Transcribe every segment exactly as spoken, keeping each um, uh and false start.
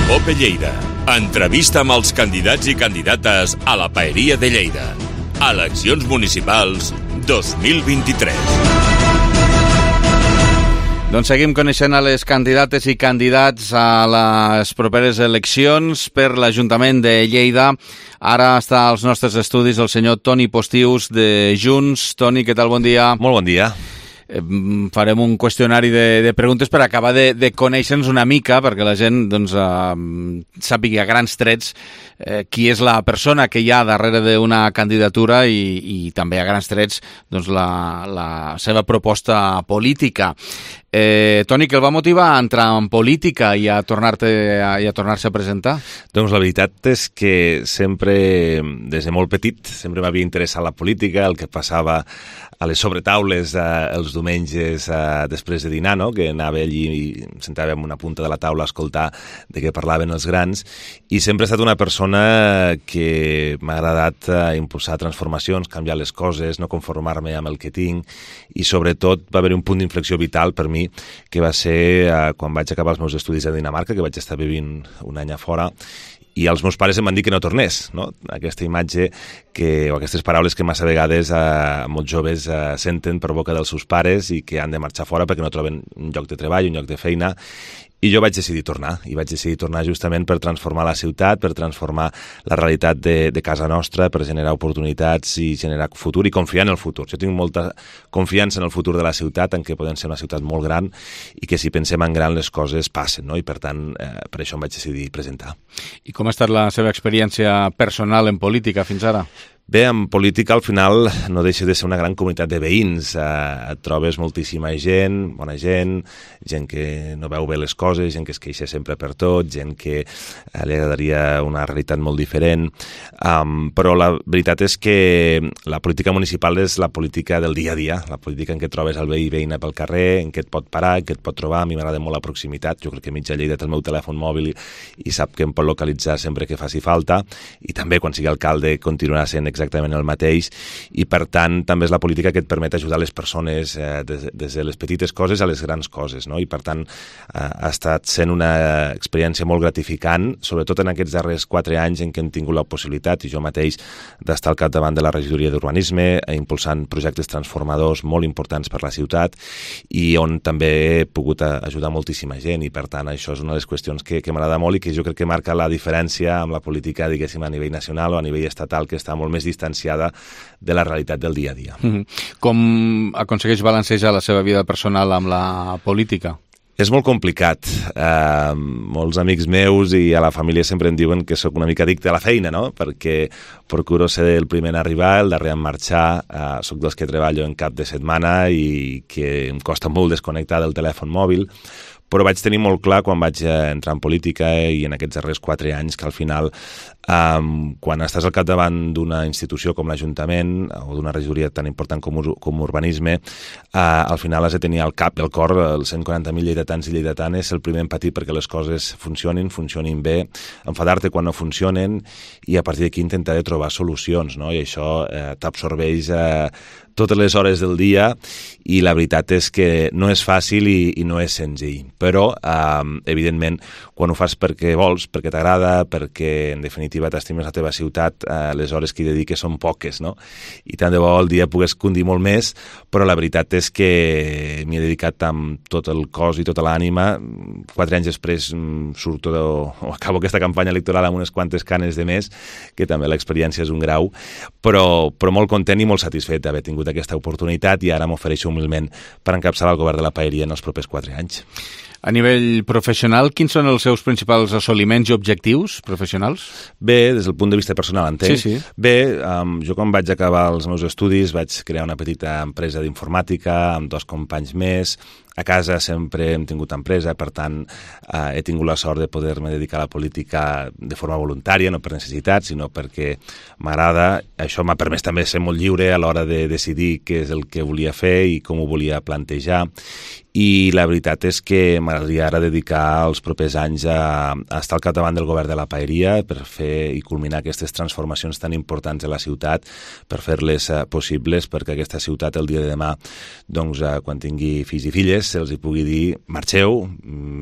Cope Lleida. Entrevista amb els candidats i candidates a la Paeria de Lleida. Eleccions municipals dos mil vint-i-tres. Doncs seguim coneixent a les candidates i candidats a les properes eleccions per l'Ajuntament de Lleida. Ara està als nostres estudis el senyor Toni Postius de Junts. Toni, què tal? Bon dia. Molt bon dia. Eh, farem un qüestionari de, de preguntes per acabar de, de conèixer-nos una mica, perquè la gent doncs, eh, sàpiga a grans trets eh, qui és la persona que hi ha darrere d'una candidatura i, i també a grans trets doncs, la, la seva proposta política. Eh, Toni, què el va motivar a entrar en política i a tornar-te a, i a tornar-se a presentar? Doncs la veritat és que sempre, des de molt petit, sempre m'havia interessat la política, el que passava a les sobretaules eh, els diumenges eh, després de dinar, no? Que anava allí i sentàvem una punta de la taula a escoltar de què parlaven els grans, i sempre he estat una persona que m'ha agradat eh, impulsar transformacions, canviar les coses, no conformar-me amb el que tinc, i sobretot va haver un punt d'inflexió vital per mi, que va ser eh, quan vaig acabar els meus estudis a Dinamarca, que vaig estar vivint un any a fora, i els meus pares em van dir que no tornés, no? Aquesta imatge que, o aquestes paraules que massa vegades eh, molts joves eh, senten per boca dels seus pares i que han de marxar fora perquè no troben un lloc de treball, un lloc de feina. I jo vaig decidir tornar, i vaig decidir tornar justament per transformar la ciutat, per transformar la realitat de, de casa nostra, per generar oportunitats i generar futur i confiar en el futur. Jo tinc molta confiança en el futur de la ciutat, en què podem ser una ciutat molt gran i que si pensem en gran les coses passen, no? I per tant, eh, per això em vaig decidir presentar. I com ha estat la seva experiència personal en política fins ara? Bé, en política al final no deixa de ser una gran comunitat de veïns. Eh, et trobes moltíssima gent, bona gent, gent que no veu bé les coses, gent que es queixa sempre per tot, gent que eh, li agradaria una realitat molt diferent. Um, però la veritat és que la política municipal és la política del dia a dia, la política en què trobes el veí i veïna pel carrer, en què et pot parar, en què et pot trobar. A mi m'agrada molt la proximitat. Jo crec que mitja Lleida té el meu telèfon mòbil i, i sap que em pot localitzar sempre que faci falta, i també quan sigui alcalde continuarà sent exactament el mateix, i per tant també és la política que et permet ajudar les persones eh, des, des de les petites coses a les grans coses, no? I per tant eh, ha estat sent una experiència molt gratificant, sobretot en aquests darrers quatre anys en què hem tingut la possibilitat, i jo mateix, d'estar al capdavant de la regidoria d'urbanisme, impulsant projectes transformadors molt importants per la ciutat, i on també he pogut ajudar moltíssima gent, i per tant això és una de les qüestions que, que m'agrada molt i que jo crec que marca la diferència amb la política, diguéssim, a nivell nacional o a nivell estatal, que està molt més distanciada de la realitat del dia a dia. Mm-hmm. Com aconsegueix balancejar la seva vida personal amb la política? És molt complicat. Uh, molts amics meus i a la família sempre em diuen que sóc una mica addicte a la feina, no? Perquè procuro ser el primer en arribar, el darrer en marxar. Uh, sóc dels que treballo en cap de setmana i que em costa molt desconnectar del telèfon mòbil, però vaig tenir molt clar quan vaig entrar en política i en aquests darrers quatre anys que al final, um, quan estàs al capdavant d'una institució com l'Ajuntament o d'una regidoria tan important com, com urbanisme, uh, al final has de tenir al cap i al cor els cent quaranta mil lleidatans i lleidatanes, el primer en patir perquè les coses funcionin, funcionin bé, enfadar-te quan no funcionen i a partir d'aquí intentar de trobar solucions, no? I això eh, t'absorbeix eh, totes les hores del dia, i la veritat és que no és fàcil i, i no és senzill. Però, eh, evidentment, quan ho fas perquè vols, perquè t'agrada, perquè, en definitiva, t'estimes la teva ciutat, eh, les hores que hi dediques són poques, no? I tant de bo el dia pogués condir molt més, però la veritat és que m'hi he dedicat amb tot el cos i tota l'ànima. Quatre anys després surto de, o acabo aquesta campanya electoral amb unes quantes canes de més, que també l'experiència és un grau, però, però molt content i molt satisfet d'haver tingut aquesta oportunitat, i ara m'ofereixo humilment per encapçalar el govern de la Paeria en els propers quatre anys. A nivell professional, quins són els seus principals assoliments i objectius professionals? Bé, des del punt de vista personal, entenc. Sí, sí. Bé, um, jo quan vaig acabar els meus estudis vaig crear una petita empresa d'informàtica amb dos companys més. A casa sempre hem tingut empresa, per tant eh, he tingut la sort de poder-me dedicar a la política de forma voluntària, no per necessitat, sinó perquè m'agrada. Això m'ha permès també ser molt lliure a l'hora de decidir què és el que volia fer i com ho volia plantejar. i la veritat és que m'agradaria ara dedicar els propers anys a, a estar al capdavant del govern de la Paeria per fer i culminar aquestes transformacions tan importants de la ciutat, per fer-les uh, possibles, perquè aquesta ciutat el dia de demà, doncs, uh, quan tingui fills i filles, se'ls hi pugui dir marxeu,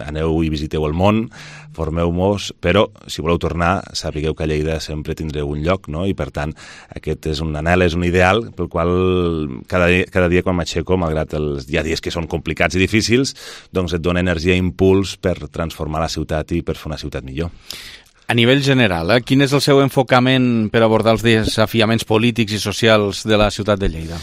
aneu i visiteu el món, formeu-vos, però si voleu tornar, sapigueu que a Lleida sempre tindreu un lloc, no? I per tant, aquest és un anhel, és un ideal pel qual cada dia, cada dia quan m'aixeco, malgrat els hi ha dies que són complicats i difícils, doncs et dona energia i impuls per transformar la ciutat i per fer una ciutat millor. A nivell general, eh, quin és el seu enfocament per abordar els desafiaments polítics i socials de la ciutat de Lleida?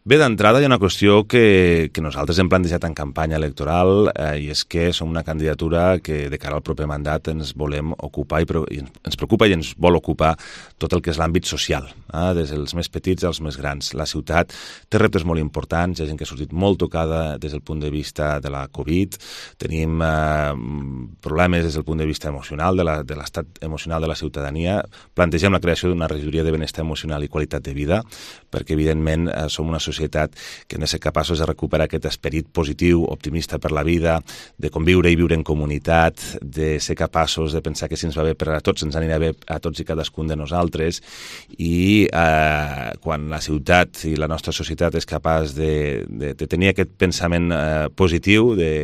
Bé, d'entrada hi ha una qüestió que, que nosaltres hem plantejat en campanya electoral eh, i és que som una candidatura que de cara al proper mandat ens volem ocupar i, i ens preocupa i ens vol ocupar tot el que és l'àmbit social, eh, des dels més petits als més grans. La ciutat té reptes molt importants, hi ha gent que ha sortit molt tocada des del punt de vista de la Covid, tenim eh, problemes des del punt de vista emocional, de l'estat emocional de la ciutadania, plantegem la creació d'una regidoria de benestar emocional i qualitat de vida, perquè evidentment eh, som una societat societat que hem de ser capaços de recuperar aquest esperit positiu, optimista per la vida, de conviure i viure en comunitat, de ser capaços de pensar que si ens va bé per a tots, ens anirà bé a tots i cadascun de nosaltres, i eh, quan la ciutat i la nostra societat és capaç de, de, de tenir aquest pensament eh, positiu, de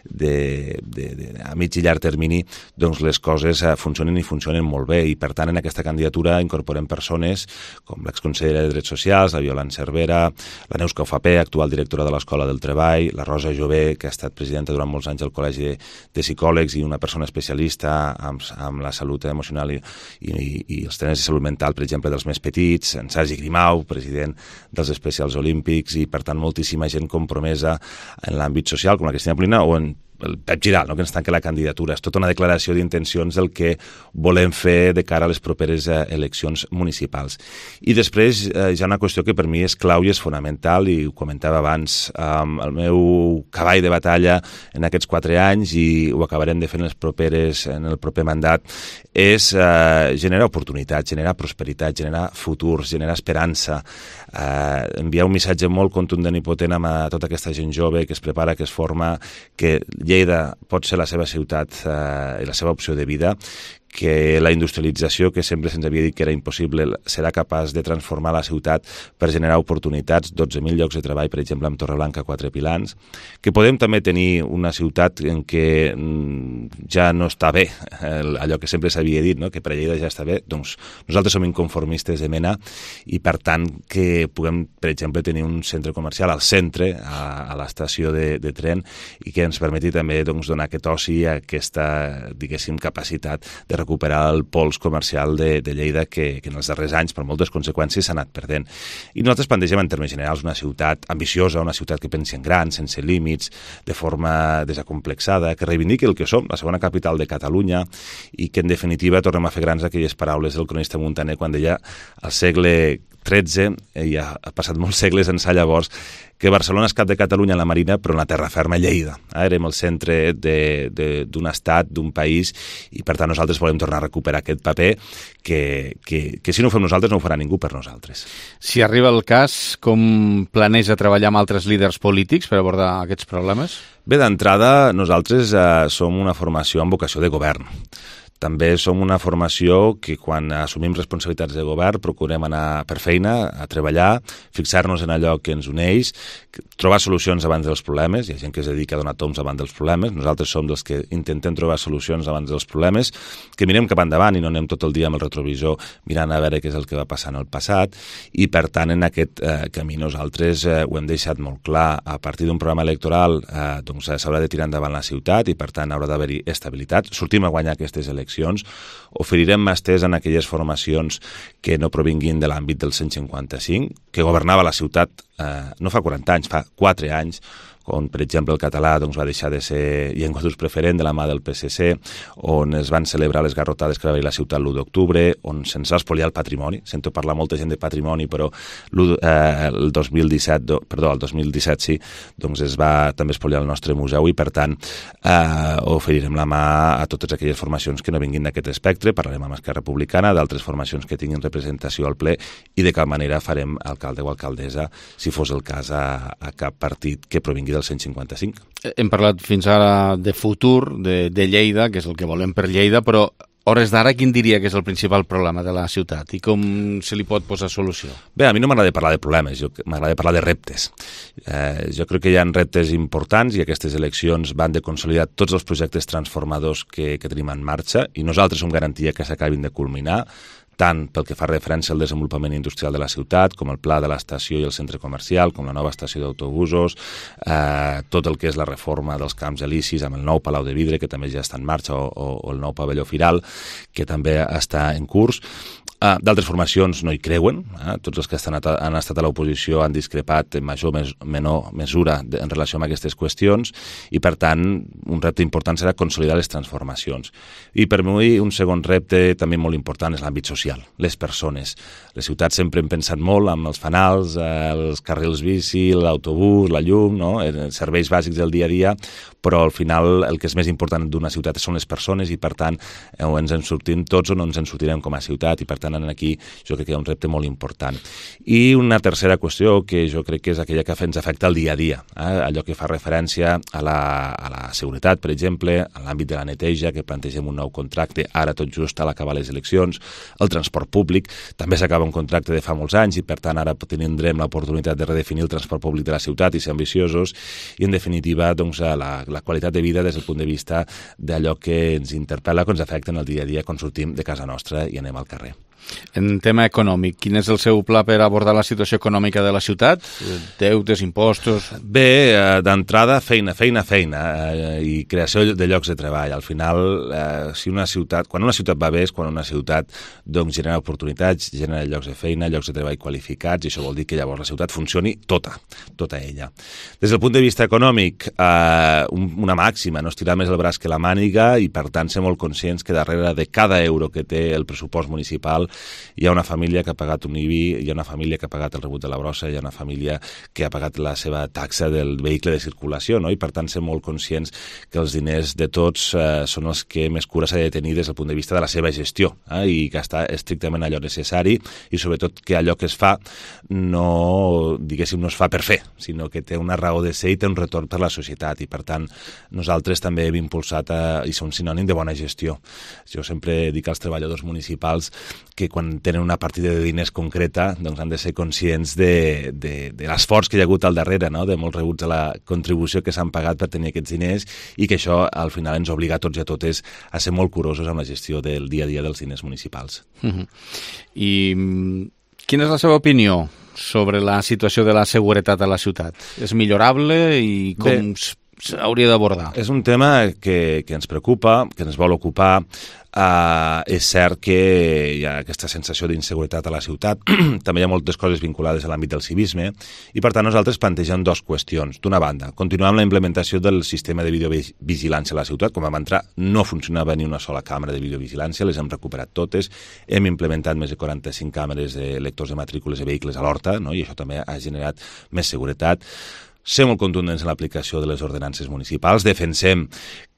De, de, de, a mig i llarg termini, doncs les coses eh, funcionen i funcionen molt bé, i per tant en aquesta candidatura incorporem persones com l'exconsellera de Drets Socials, la Violant Cervera, la Neus Caufapé, actual directora de l'Escola del Treball, la Rosa Jové, que ha estat presidenta durant molts anys del Col·legi de, de Psicòlegs i una persona especialista amb, amb la salut emocional i, i, i els temes de salut mental, per exemple, dels més petits, en Sergi Grimau, president dels Especials Olímpics, i per tant moltíssima gent compromesa en l'àmbit social, com la Cristina Polina o en el Pep Giral, no?, que ens tanca la candidatura. És tota una declaració d'intencions del que volem fer de cara a les properes eh, eleccions municipals. I després eh, hi ha una qüestió que per mi és clau i és fonamental, i ho comentava abans, eh, el meu cavall de batalla en aquests quatre anys, i ho acabarem de fer en, les properes, en el proper mandat, és eh, generar oportunitats, generar prosperitat, generar futurs, generar esperança, eh, enviar un missatge molt contundent i potent a tota aquesta gent jove que es prepara, que es forma, que Lleida pot ser la seva ciutat eh, i la seva opció de vida, que la industrialització, que sempre se'ns havia dit que era impossible, serà capaç de transformar la ciutat per generar oportunitats, dotze mil llocs de treball, per exemple, amb Torreblanca, Quatre Pilans, que podem també tenir una ciutat en què ja no està bé allò que sempre s'havia dit, no?, que per a Lleida ja està bé. Doncs nosaltres som inconformistes de mena, i per tant que puguem, per exemple, tenir un centre comercial al centre, a, a l'estació de, de tren, i que ens permeti també doncs, donar aquest oci, aquesta, diguéssim, capacitat de recuperar el pols comercial de, de Lleida que, que en els darrers anys, per moltes conseqüències, s'ha anat perdent. I nosaltres plantegem en termes generals una ciutat ambiciosa, una ciutat que pensi en gran, sense límits, de forma desacomplexada, que reivindiqui el que som, la segona capital de Catalunya, i que en definitiva tornem a fer grans aquelles paraules del cronista Muntaner quan deia al segle tretze, i ha passat molts segles ençà llavors, que Barcelona és cap de Catalunya en la Marina, però en la terra ferma Lleida. Eh? Érem el centre d'un estat, d'un país, i per tant nosaltres volem tornar a recuperar aquest paper que, que, que si no ho fem nosaltres no ho farà ningú per nosaltres. Si arriba el cas, com planeja treballar amb altres líders polítics per abordar aquests problemes? Bé, d'entrada, nosaltres eh, som una formació amb vocació de govern. També som una formació que quan assumim responsabilitats de govern procurem anar per feina, a treballar, fixar-nos en allò que ens uneix, trobar solucions abans dels problemes. Hi ha gent que es dedica a donar toms abans dels problemes. Nosaltres som dels que intentem trobar solucions abans dels problemes, que mirem cap endavant i no anem tot el dia amb el retrovisor mirant a veure què és el que va passar en el passat, i per tant en aquest eh, camí nosaltres eh, ho hem deixat molt clar. A partir d'un programa electoral eh, doncs s'haurà de tirar endavant la ciutat i per tant haurà d'haver-hi estabilitat. Sortim a guanyar aquestes eleccions. Oferirem màsters en aquelles formacions que no provinguin de l'àmbit del cent cinquanta-cinc, que governava la ciutat eh, no fa quaranta anys, fa quatre anys, on, per exemple, el català doncs, va deixar de ser llengua d'ús preferent de la mà del P S C, on es van celebrar les garrotades que va haver la ciutat l'u d'octubre, on se'ns va espoliar el patrimoni. Sento parlar molta gent de patrimoni, però eh, el dos mil disset, do, perdó, el dos mil disset sí, doncs es va també espoliar el nostre museu, i per tant eh, oferirem la mà a totes aquelles formacions que no vinguin d'aquest espectre. Parlarem amb Esquerra Republicana, d'altres formacions que tinguin representació al ple, i de cap manera farem alcalde o alcaldessa, si fos el cas, a, a cap partit que provingui del cent cinquanta-cinc. Hem parlat fins ara de futur, de, de Lleida, que és el que volem per Lleida, però hores d'ara, quin diria que és el principal problema de la ciutat i com se li pot posar solució? Bé, a mi no m'agrada parlar de problemes, m'agrada parlar de reptes. Eh, jo crec que hi ha reptes importants i aquestes eleccions van de consolidar tots els projectes transformadors que, que tenim en marxa i nosaltres som garantia que s'acabin de culminar, tant pel que fa referència al desenvolupament industrial de la ciutat, com el pla de l'estació i el centre comercial, com la nova estació d'autobusos, eh, tot el que és la reforma dels camps elisis amb el nou Palau de Vidre, que també ja està en marxa, o, o, o el nou pavelló firal, que també està en curs. Uh, D'altres formacions no hi creuen, eh? Tots els que estan, han estat a l'oposició han discrepat en major o mes, menor mesura de, en relació amb aquestes qüestions i, per tant, un repte important serà consolidar les transformacions. I per mi un segon repte també molt important és l'àmbit social, les persones. Les ciutats sempre hem pensat molt amb els fanals, eh, els carrils bici, l'autobús, la llum, no? Els serveis bàsics del dia a dia, però al final el que és més important d'una ciutat són les persones i, per tant, eh, o ens en sortim tots o no ens en sortirem com a ciutat i, per tant, aquí jo crec que hi ha un repte molt important. I una tercera qüestió que jo crec que és aquella que ens afecta el dia a dia, eh? Allò que fa referència a la, a la seguretat, per exemple, a l'àmbit de la neteja, que plantegem un nou contracte, ara tot just a l'acabar les eleccions, el transport públic, també s'acaba un contracte de fa molts anys i per tant ara tindrem l'oportunitat de redefinir el transport públic de la ciutat i ser ambiciosos i en definitiva doncs, la, la qualitat de vida des del punt de vista d'allò que ens interpel·la, que ens afecta en el dia a dia quan sortim de casa nostra i anem al carrer. En tema econòmic, quin és el seu pla per abordar la situació econòmica de la ciutat? Deutes, impostos... Bé, d'entrada, feina, feina, feina eh, i creació de llocs de treball. Al final, eh, si una ciutat, quan una ciutat va bé és quan una ciutat doncs, genera oportunitats, genera llocs de feina, llocs de treball qualificats i això vol dir que llavors la ciutat funcioni tota, tota ella. Des del punt de vista econòmic, eh, una màxima, no estirar més el braç que la màniga i per tant ser molt conscients que darrere de cada euro que té el pressupost municipal hi ha una família que ha pagat un I B I, hi ha una família que ha pagat el rebut de la brossa, hi ha una família que ha pagat la seva taxa del vehicle de circulació, no? I per tant ser molt conscients que els diners de tots eh, són els que més cura s'ha de tenir des del punt de vista de la seva gestió eh? I gastar estrictament allò necessari i sobretot que allò que es fa no, diguéssim, no es fa per fer, sinó que té una raó de ser i té un retorn per la societat i per tant nosaltres també hem impulsat a, i som sinònim de bona gestió. Jo sempre dic als treballadors municipals que quan tenen una partida de diners concreta doncs han de ser conscients de, de, de l'esforç que hi ha hagut al darrere, no? De molts rebuts a la contribució que s'han pagat per tenir aquests diners i que això al final ens obliga a tots i a totes a ser molt curosos amb la gestió del dia a dia dels diners municipals. Uh-huh. I quina és la seva opinió sobre la situació de la seguretat a la ciutat? És millorable i com s'hauria d'abordar? És un tema que, que ens preocupa, que ens vol ocupar. Uh, és cert que hi ha aquesta sensació d'inseguretat a la ciutat, també hi ha moltes coses vinculades a l'àmbit del civisme i per tant nosaltres plantegem dues qüestions. D'una banda, continuar amb la implementació del sistema de videovigilància a la ciutat. Quan vam entrar no funcionava ni una sola càmera de videovigilància, les hem recuperat totes, hem implementat més de quaranta-cinc càmeres de lectors de matrícules de vehicles a l'Horta, no? I això també ha generat més seguretat. Ser molt contundents en l'aplicació de les ordenances municipals, defensem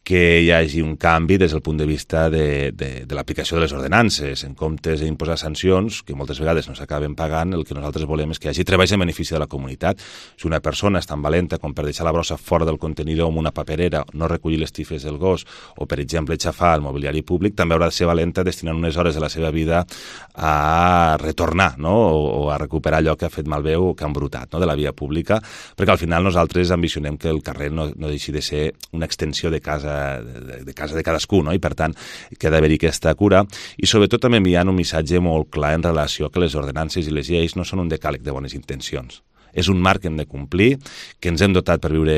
que hi hagi un canvi des del punt de vista de, de, de l'aplicació de les ordenances. En comptes d'imposar sancions, que moltes vegades no s'acaben pagant, el que nosaltres volem és que hi hagi treballs en benefici de la comunitat. Si una persona és tan valenta com per deixar la brossa fora del contenidor amb una paperera, no recollir les tifes del gos, o per exemple xafar el mobiliari públic, també haurà de ser valenta destinant unes hores de la seva vida a retornar, no? o, o a recuperar allò que ha fet malbé o que ha embrutat, no? De la via pública, perquè al final nosaltres ambicionem que el carrer no, no deixi de ser una extensió de casa De, de casa de cadascú, no? I per tant que ha d'haver-hi aquesta cura i sobretot també enviant un missatge molt clar en relació que les ordenances i les lleis no són un decàleg de bones intencions. És un marc que hem de complir, que ens hem dotat per viure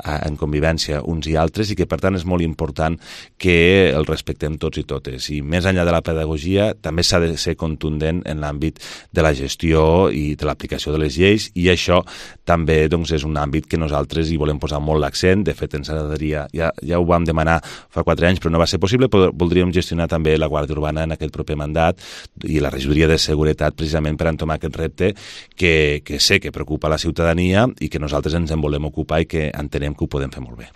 en convivència uns i altres i que, per tant, és molt important que el respectem tots i totes. I més enllà de la pedagogia, també s'ha de ser contundent en l'àmbit de la gestió i de l'aplicació de les lleis i això també doncs, és un àmbit que nosaltres hi volem posar molt l'accent. De fet, ens agradaria, ja, ja ho vam demanar fa quatre anys, però no va ser possible, però voldríem gestionar també la Guàrdia Urbana en aquest proper mandat i la regidoria de seguretat precisament per entomar aquest repte que, que sé que preocupa preocupa a la ciutadania i que nosaltres ens en volem ocupar i que entenem que ho podem fer molt bé.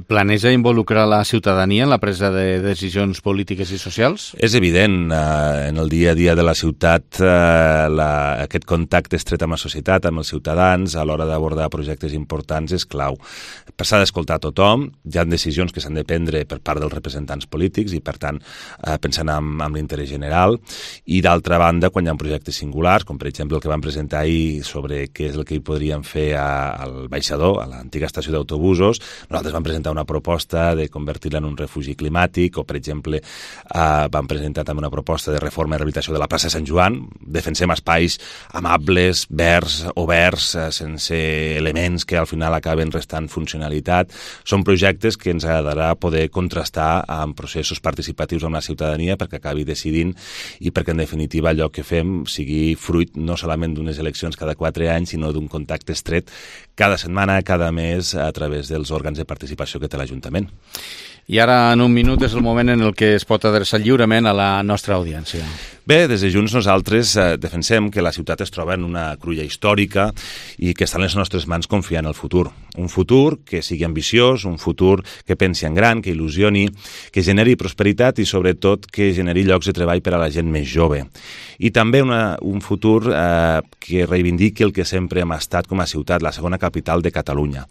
Planeja involucrar la ciutadania en la presa de decisions polítiques i socials? És evident, eh, en el dia a dia de la ciutat, eh, la, aquest contacte estret amb la societat, amb els ciutadans, a l'hora d'abordar projectes importants és clau. S'ha d'escoltar a tothom, hi ha decisions que s'han de prendre per part dels representants polítics i, per tant, eh, pensant en, en l'interès general, i d'altra banda, quan hi ha projectes singulars, com per exemple el que vam presentar ahir sobre què és el que hi podríem fer a, al Baixador, a l'antiga estació d'autobusos, nosaltres vam presentar una proposta de convertir-la en un refugi climàtic, o, per exemple, eh, vam presentar també una proposta de reforma i rehabilitació de la plaça Sant Joan. Defensem espais amables, verds, oberts, eh, sense elements que al final acaben restant funcionalitat. Són projectes que ens agradarà poder contrastar amb processos participatius amb la ciutadania perquè acabi decidint i perquè, en definitiva, allò que fem sigui fruit no solament d'unes eleccions cada quatre anys, sinó d'un contacte estret cada setmana, cada mes, a través dels òrgans de participació que té l'Ajuntament. I ara, en un minut, és el moment en el que es pot adreçar lliurement a la nostra audiència. Bé, des de Junts nosaltres eh, defensem que la ciutat es troba en una cruïlla històrica i que està en les nostres mans confiar en el futur. Un futur que sigui ambiciós, un futur que pensi en gran, que il·lusioni, que generi prosperitat i, sobretot, que generi llocs de treball per a la gent més jove. I també una, un futur eh, que reivindiqui el que sempre hem estat com a ciutat, la segona capital de Catalunya.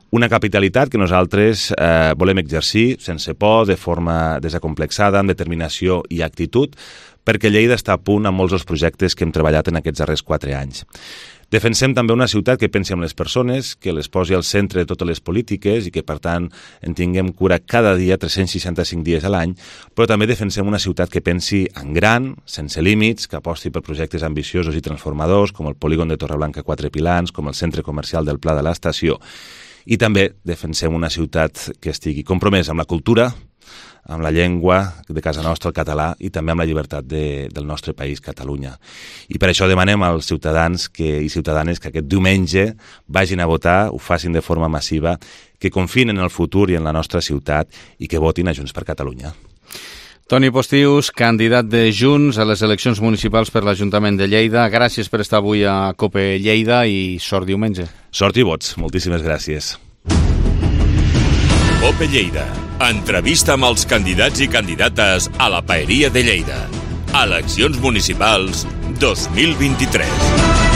Una capitalitat que nosaltres eh, volem exercir sense por, de forma desacomplexada, amb determinació i actitud, perquè Lleida està a punt amb molts dels projectes que hem treballat en aquests darrers quatre anys. Defensem també una ciutat que pensi en les persones, que les posi al centre de totes les polítiques i que, per tant, en tinguem cura cada dia, tres-cents seixanta-cinc dies a l'any, però també defensem una ciutat que pensi en gran, sense límits, que aposti per projectes ambiciosos i transformadors, com el polígon de Torreblanca Quatre Pilans, com el centre comercial del Pla de l'Estació. I també defensem una ciutat que estigui compromesa amb la cultura, amb la llengua de casa nostra, el català, i també amb la llibertat de, del nostre país, Catalunya. I per això demanem als ciutadans que, i ciutadanes que aquest diumenge vagin a votar, ho facin de forma massiva, que confien en el futur i en la nostra ciutat i que votin a Junts per Catalunya. Toni Postius, candidat de Junts a les eleccions municipals per l'Ajuntament de Lleida. Gràcies per estar avui a COPE Lleida i sort diumenge. Sort i vots. Moltíssimes gràcies. COPE Lleida. Entrevista amb els candidats i candidates a la Paeria de Lleida. Eleccions municipals dos mil vint-i-tres.